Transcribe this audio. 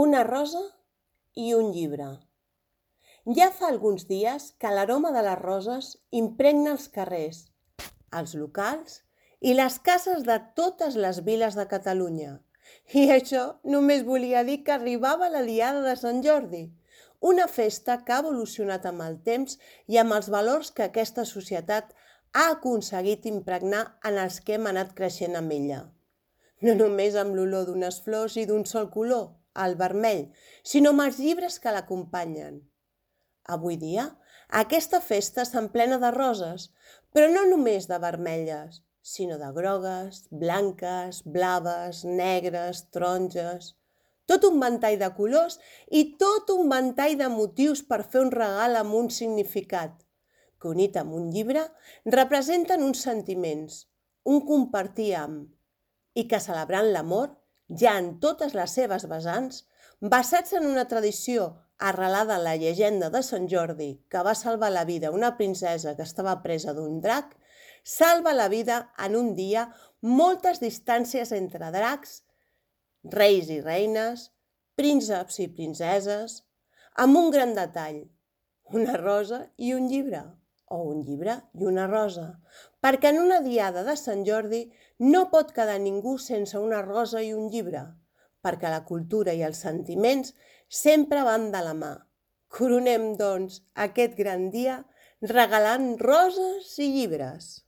Una rosa i un llibre. Ja fa alguns dies que l'aroma de les roses impregna els carrers, els locals i les cases de totes les viles de Catalunya. I això només volia dir que arribava la Diada de Sant Jordi, una festa que ha evolucionat amb el temps i amb els valors que aquesta societat ha aconseguit impregnar en els que hem anat creixent amb ella. No només amb l'olor d'unes flors i d'un sol color, el vermell, sinó amb els llibres que l'acompanyen. Avui dia, aquesta festa s'emplena de roses, però no només de vermelles, sinó de grogues, blanques, blaves, negres, taronges. Tot un ventall de colors i tot un ventall de motius per fer un regal amb un significat, que unit amb un llibre representen uns sentiments, un compartir amb, i que celebrant l'amor, ja en totes les seves vessants, basats en una tradició arrelada en la llegenda de Sant Jordi, que va salvar la vida a una princesa que estava presa d'un drac, salva la vida en un dia moltes distàncies entre dracs, reis i reines, prínceps i princeses, amb un gran detall, una rosa i un llibre, o un llibre i una rosa, perquè en una diada de Sant Jordi no pot quedar ningú sense una rosa i un llibre, perquè la cultura i els sentiments sempre van de la mà. Coronem, doncs, aquest gran dia regalant roses i llibres.